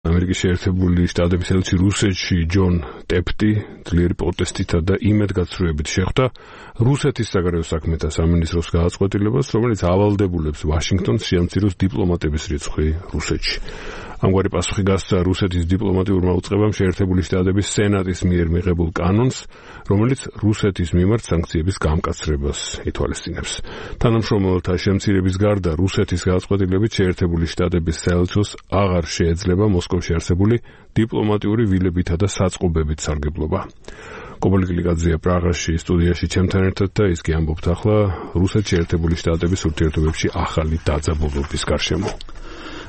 ამერიკის შეერთებული შტატების ელჩი რუსეთში ჯონ ტეპტი ძლიერი პროტესტითა და იმედგაცრუებით შეხვდა რუსეთის საგარეო საქმეთა სამინისტროს გადაწყვეტილებას, რომელიც ავალდებულებს ვაშინგტონს შეამციროს დიპლომატების რიცხვი რუსეთში. ამგვარი პასუხი გასცა რუსეთის დიპლომატიურმა უწყებამ შეერთებული შტატების სენატის მიერ მიღებულ კანონს, რომელიც რუსეთის მიმართ სანქციების გამკაცრებას ითვალისწინებს. თანამშრომელთა შემცირების გარდა რუსეთის გადაწყვეტილებით შეერთებული შტატების საელჩოს აღარ შეეძლება მოსკოვში არსებული დიპლომატიური ვილებითა და საწყობებით სარგებლობა. კობალი გლიკაძეა პრაღაში სტუდიაში ჩემთან ერთად და ის კი ამბობთ ახლა რუსეთში შეერთებული შტატების ურთიერთობებში ახალი დაძაბულობის გარშემო.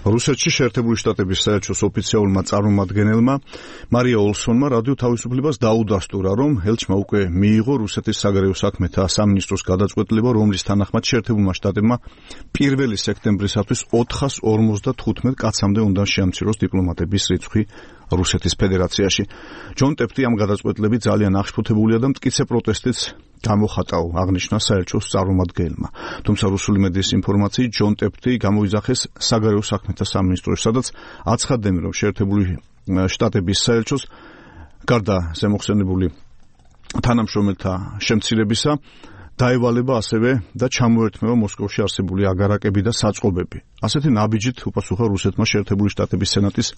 რუსეთში შეერთებული შტატების საელჩოს ოფიციალურმა წარმომადგენელმა მარია ოლსონმა რადიო თავისუფლებას დაუდასტურა, რომ ელჩმა უკვე მიიღო რუსეთის საგარეო საქმეთა სამინისტროს გადაწყვეტილება, რომლის თანახმად შეერთებულმა შტატებმა 1 სექტემბრისათვის 455 კაცამდე უნდა შეამციროს დიპლომატების რიცხვი რუსეთის ფედერაციაში. ჯონ ტეპტი ამ გადაწყვეტილებით ძალიან აღშფოთებულია და მტკიცე პროტესტიც გამოხატაო, აღნიშნა საელჩოს წარმომადგენელმა. თუმცა რუსული მედიის ინფორმაციით ჯონ ტეპტი გამოიძახეს საგარეო საქმეთა სამინისტროში, სადაც აცხადდნენ, რომ შეერთებული შტატების საელჩოს გარდა ზემოხსენებული თანამშრომელთა შემცირებისა დაევალება ასევე და ჩამოერთმევა მოსკოვში არსებული აგარაკები და საწყობები. ასეთი ნაბიჯით უპასუხა რუსეთმა შეერთებული შტატების სენატის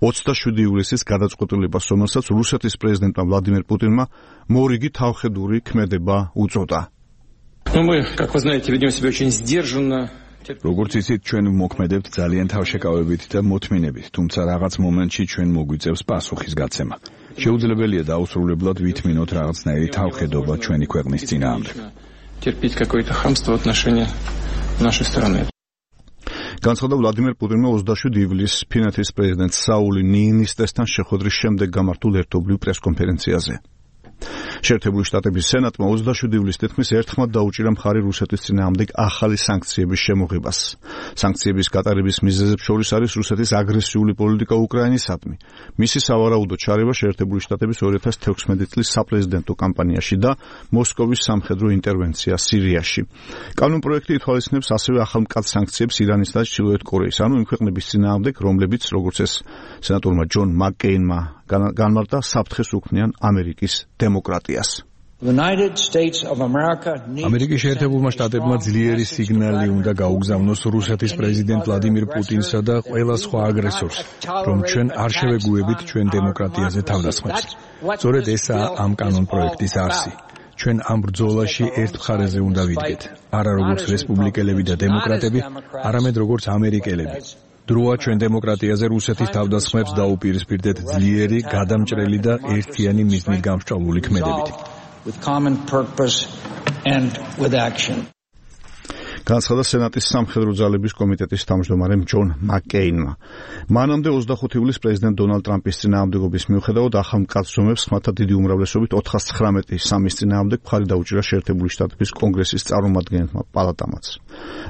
27 ივლისის გადაწყვეტილებას, რომელსაც რუსეთის პრეზიდენტმა ვლადიმერ პუტინმა მორიგი თავხედური ქმედება უწოდა. როგორც იცით, ჩვენ მოქმედებთ ძალიან თავშეკავებით და მოთმინებით, თუმცა რაღაც მომენტში ჩვენ მოგვიწევს პასუხის გაცემა. შეუძლებელია დაუსრულებლად ვითმინოთ რაღაცნაირი თავხედობა ჩვენი ქვეყნის წინააღმდეგ. განცხადა ვლადიმერ პუტინმა 27 ივლისს ფინეთის პრეზიდენტ საული ნიინისტესთან შეხვედრის შემდეგ გამართულ ერთობლივ პრესკონფერენციაზე. შეერთებული შტატების სენატმა 27 ივლისს თითქმის ერთხმად დაუჭირა მხარი რუსეთის წინააღმდეგ ახალი სანქციების შემოღებას. სანქციების გატარების მიზეზებს შორის არის რუსეთის აგრესიული პოლიტიკა უკრაინისადმი, მისი სავარაუდო ჩარევა შეერთებული შტატების 2016 წლის საპრეზიდენტო კამპანიაში და მოსკოვის სამხედრო ინტერვენცია სირიაში. კანონპროექტი ითვალისწინებს ასევე ახალმკაც სანქციებს ირანის და ჩრდილოეთ კორეის, ანუ იმ ქვეყნების წინააღმდეგ, რომლებიც, როგორც ეს სენატორმა ჯონ მაკკეინმა განმარტა, საფრთხეს უქმნიან ამერიკის დემოკრატიას. ამერიკის შეერთებულმა შტატებმა ძლიერი სიგნალი უნდა გაუგზავნოს რუსეთის პრეზიდენტ ვლადიმირ პუტინსა და ყველა სხვა აგრესორს, რომ ჩვენ არ შევეგუებით ჩვენ დემოკრატიაზე თავდასხმებს. სწორედ ესაა ამ კანონპროექტის არსი. ჩვენ ამ ბრძოლაში ერთ მხარეზე უნდა ვიდგეთ, არა როგორც რესპუბლიკელები და დემოკრატები, არამედ როგორც ამერიკელები. დროა ჩვენ დემოკრატიაზე რუსეთის თავდასხმებს დაუპირისპირდეთ ძლიერი, გადამჭრელი და ერთიანი მიზნით გამსჭვალული ქმედებით. განცხადა სენატის სამხედრო ძალების კომიტეტის თავმჯდომარემ ჯონ მაკკეინმა. მანამდე 25 ივლისს პრეზიდენტ დონალდ ტრამპის წინააღმდეგობის მიუხედავად ახალმკაც ზომებს ხმათა დიდი უმრავლესობით 419 წინააღმდეგ მხარი დაუჭირა შეერთებული შტატების კონგრესის წარმომადგენელმა პალატამაც.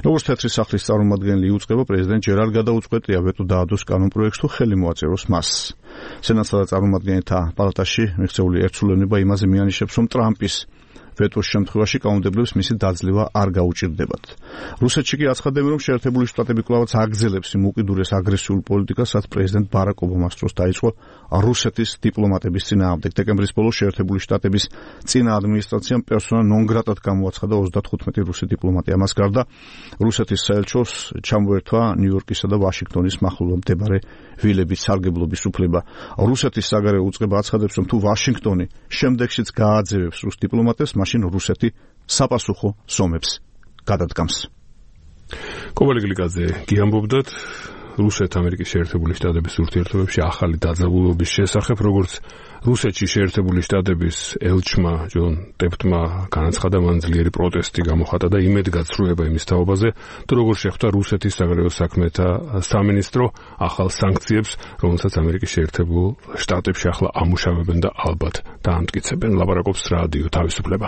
როგორც თეთრი სახლის წარმომადგენელი იუწყება, პრეზიდენტ ჯერ არ გადაუწყვეტია ვეტო დაადოს კანონპროექტს თუ ხელი მოაწეროს მას. სენატსა და წარმომადგენელთა პალატაში მიღწეული ერთსულოვნება იმაზე მიანიშნებს, რომ ტრამპის ვეტოს შემთხვევაში კანონმდებლებს მისი დაძლევა არ გაუჭირდებათ. რუსეთში კი აცხადებენ, რომ შეერთებული შტატები კვლავაც აგრძელებს იმ უკიდურეს აგრესიულ პოლიტიკას, რაც პრეზიდენტ ბარაკ ობამას დროს დაიწყო რუსეთის დიპლომატების წინააღმდეგ. დეკემბრის ბოლოს შეერთებული შტატების წინა ადმინისტრაციამ პერსონა ნონ გრატად გამოაცხადა 35 რუსი დიპლომატი. ამას გარდა რუსეთის საელჩოს ჩამოერთვა ნიუ-იორკისა და ვაშინგტონის მახლობლად მდებარე ვილებით სარგებლობის უფლება. რუსეთის საგარეო უწყება აცხადებს, რომ თუ ვაშინგტონი შემდეგშიც გააძევებს რუს დიპლომატებს, მაშინ რუსეთი საპასუხო ზომებს გადადგამს. კობალი გლიკაძე კი ამბობდათ რუსეთ-ამერიკის შეერთებული შტატების ურთიერთობებში ახალი დაძაბულობის შესახებ, როგორც რუსეთში შეერთებული შტატების ელჩმა ჯონ ტეპტმა განაცხადა, მან ძლიერი პროტესტი გამოხატა და იმედგაცრუება იმის თაობაზე, თუ როგორ შეხვდა რუსეთის საგარეო საქმეთა სამინისტრო ახალ სანქციებს, რომელსაც ამერიკის შეერთებულ შტატებში ახლა ამუშავებენ და ალბათ დაამტკიცებენ. ლაპარაკობს რადიო თავისუფლება.